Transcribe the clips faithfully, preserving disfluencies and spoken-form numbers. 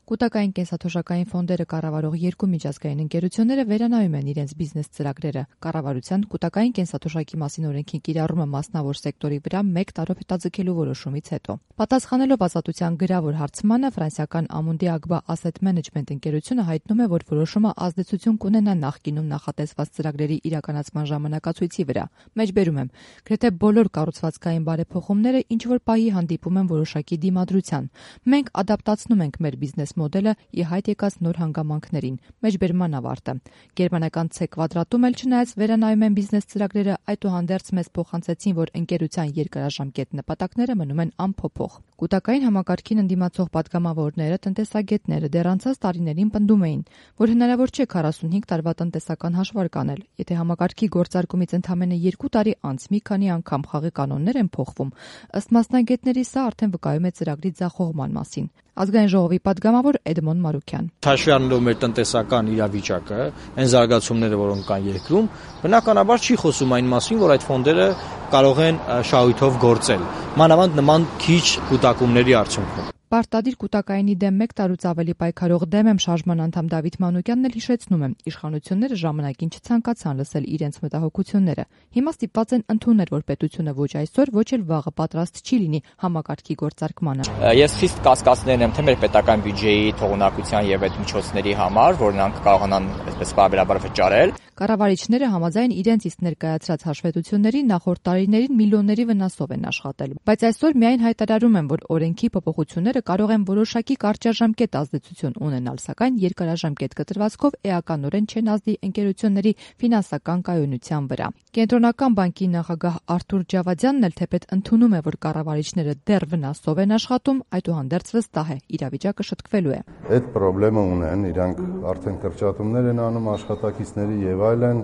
Կուտակային կենսաթոշակային ֆոնդերը կառավարող երկու միջազգային ընկերությունները վերանայում են իրենց բիզնես ծրագրերը։ Կառավարության կուտակային կենսաթոշակի մասին օրենքի կիրառումը մասնավոր սեկտորի վրա մեկ տարով հետաձգելու որոշումից հետո։ Պատասխանելով Ազատության գրավոր հարցմանը, ֆրանսիական Amundi Agba Asset Management ընկերությունը հայտնում է, որ որոշումը ազդեցություն կունենա նախկինում նախատեսված ծրագրերի իրականացման ժամանակացույցի վրա։ Մեջբերում եմ, գրեթե բոլոր կառուցվածքային բարեփոխումները ինչ որ պահի հանդիպում են որոշակի դիմադրության։ Մենք ադապտացնում ենք մեր բիզնես մոդելը ի հայտ եկած նոր հանգամանքներին։ Մեջբերման ավարտը։ Գերմանական C կվադրատում էլ չնայած վերանայում են բիզնես ծրագրերը, այդուհանդերձ մեզ փոխանցեցին, որ ընկերության երկարաժամկետ նպատակները մնում են անփոփոխ։ Կուտակային համակարգին ընդդիմացող պատգամավորները, տնտեսագետները դեռ անցած տարիներին պնդում էին, որ հնարավոր չէ քառասունհինգ տարվա տնտեսական հաշվարկ անել, եթե համակարգի գործարկումից ընդամենը երկու տարի անց մի քանի անգամ խաղի կանոններ են փոխվում։ Ըստ մասնագետների, սա արդեն վկայում է ծրագրի ձախողման մասին։ Ազգային ժողովի պատգամավոր Էդմոն Մարուկյան։ Հաշվի առնելով մեր տնտեսական իրավիճակը, այն զարգացումները, որոնք կան երկրում, բնականաբար չի խոսում այն մասին, որ այդ ֆոնդերը կարող են շահույթով գործել, մանավանդ նման քիչ կուտակումների արդյունքում։ Պարտադիր կուտակայինի դեմ մեկ տարուց ավելի պայքարող դեմ եմ շարժման անդամ Դավիթ Մանուկյանն էլ հիշեցնում է, իշխանությունները ժամանակին չցանկացան լսել իրենց մտահոգությունները։ Հիմա ստիպված են ընդունել, որ պետությունը ոչ այսօր, ոչ էլ վաղը պատրաստ չի լինի համակարգի գործարկմանը։ Ես խիստ կասկածներն եմ թե մեր պետական բյուջեի թողունակության եւ այդ միջոցների համար, որ նրանք կարողանան այսպես բարբերաբար վճարել։ Կառավարիչները համաձայն իրենց իսկ ներկայացրած հաշվետվությունների նախորդ տարիներին միլիոնների վնասով են աշխատել, բայց այսօր միայն հայտարարում են, որ օրենքի փոփոխությունները կարող են որոշակի կարճաժամկետ ազդեցություն ունենալ, սակայն երկարաժամկետ կտրվածքով էականորեն չեն ազդի ընկերությունների ֆինանսական կայունության վրա։ Կենտրոնական բանկի նախագահ Արթուր Ջավադյանն էլ թեպետ ընդունում է, որ կառավարիչները դեռ վնասով են աշխատում, այդուհանդերձ վստահ է, իրավիճակը շտկվելու է։ Այդ խնդրեմը ունեն, իրանք արդեն կրճատումներ են անում աշխատակիցների եւ այլն,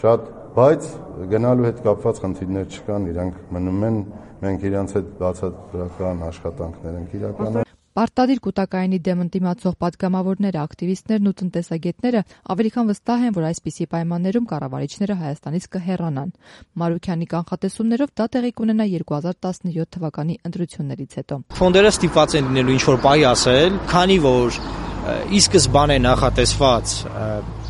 շատ, բայց գնալու հետ կապված խնդիրներ չկան, իրանք մնում են, մենք իրանց հետ բացատրական աշխատանքներ ենք իրականացնում։ Պարտադիր կուտակայինի դեմ ընդդիմացող պատգամավորները, ակտիվիստներն ու տնտեսագետները ավելի քան վստահ են, որ այսպիսի պայմաններում կառավարիչները Հայաստանից կհեռանան։ Մարուկյանի կանխատեսումներով դա տեղի կունենա երկու հազար տասնյոթ թվականի ընտրություններից հետո։ Ֆոնդերը ստիպված են լինելու ինչ-որ պահի ասել, քանի որ ի սկզբանե նախատեսված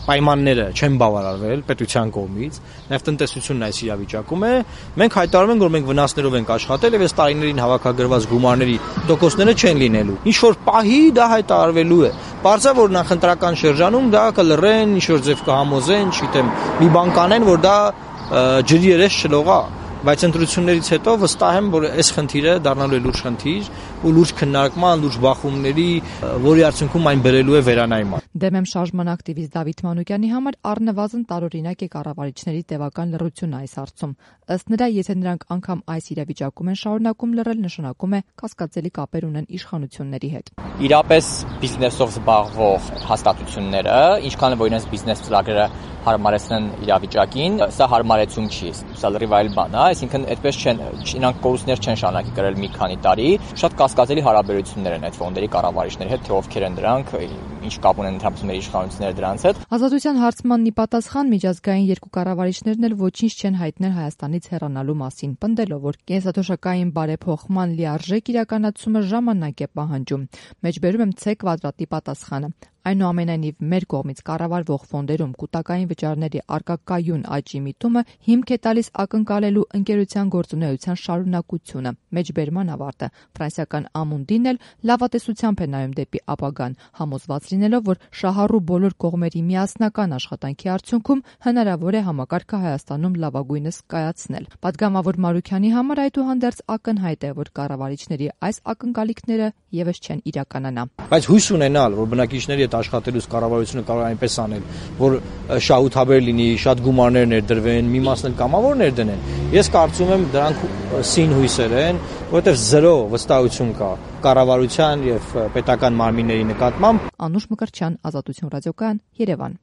պայմանները չեն բավարարվել պետության կողմից, նաև տնտեսությունն այս իրավիճակում է, մենք հայտարարում ենք, որ մենք վնասներով ենք աշխատել եւ այս տարիներին հավաքագրված գումարների տոկոսները չեն լինելու։ Ինչ որ պահի դա հայտարարվելու է։ Պարզա որ նախընտրական շրջանում դա կլռեն, ինչ որ ձև կհամոզեն, չգիտեմ, մի բան կանեն, որ դա ջրի երես չլողա, բայց ընտրություններից հետո վստահ եմ, որ այս խնդիրը դառնալու է լուրջ խնդիր ու լուրջ քննարկման, լուրջ բախումների, որի արդյունքում այն բերելու է վերանայման։ Դեմ եմ շարժման ակտիվիստ Դավիթ Մանուկյանի համար առնվազն տարօրինակ է կառավարիչների տևական լռությունը այս հարցում։ Ըստ նրա, եթե նրանք անգամ այս իրավիճակում են շարունակում լռել, նշանակում է կասկածելի կապեր ունեն իշխանությունների հետ։ Իրապես բիզնեսով զբաղվող հաստատությունները, ինչքան որ իրենց բիզնես ծրագրերը հարմարեցնեն իրավիճակին, սա հարմարեցում չի, սա լրիվ այլ բան է, այսինքն այդպես չեն, իրանք կորուստներ չեն շարունակի կրել մի քանի տարի, շատ կասկածելի հարաբերություններ են այդ ֆոնդերի կառավարիչների հետ, թե ովքեր են դրանք, ինչ կապ ունեն ընդհանրապես իշխանությունները դրանց հետ։ Ազատության հարցմանն ի պատասխան միջազգային երկու կառավարիչներն էլ ոչինչ չեն հայտնել Հայաստանից հեռանալու մասին, պնդելով, որ կենսաթոշակային բարեփոխման լիարժեք իրականացումը ժամանակ է պահանջում։ Մեջբերում եմ C կվադրատի պատասխանը։ Այնուամենայնիվ մեր կողմից կառավարվող ֆոնդերում կուտակային վճարների առկա կայուն աճի միտումը հիմք է տալիս ակնկալելու ընկերության գործունեության շարունակությունը։ Մեջբերման ավարտը ֆրանսիական Amundi-ն էլ լավատեսությամբ է նայում դեպի ապագան, համոզված լինելով, որ շահառու բոլոր կողմերի միասնական աշխատանքի արդյունքում հնարավոր է համակարգը Հայաստանում լավագույնս կայացնել։ Պատգամավոր Մարուկյանի համար այդուհանդերձ ակնհայտ է, որ կառավարիչների այս ակնկալիքները եւս չեն իրականանա։ Բայց հույս ունենալ, որ բնակիչների աշխատելուց կառավարությունը կարող է այնպես անել, որ շահութաբեր լինի, շատ գումարներ ներդրվեն, մի մասն էլ կամավոր ներդնեն։ Ես կարծում եմ դրանք սին հույսեր են, որովհետև զրո վստահություն կա կառավարության եւ պետական մարմինների նկատմամբ։ Անուշ Մկրտչյան, Ազատություն ռադիոկայան, Երևան։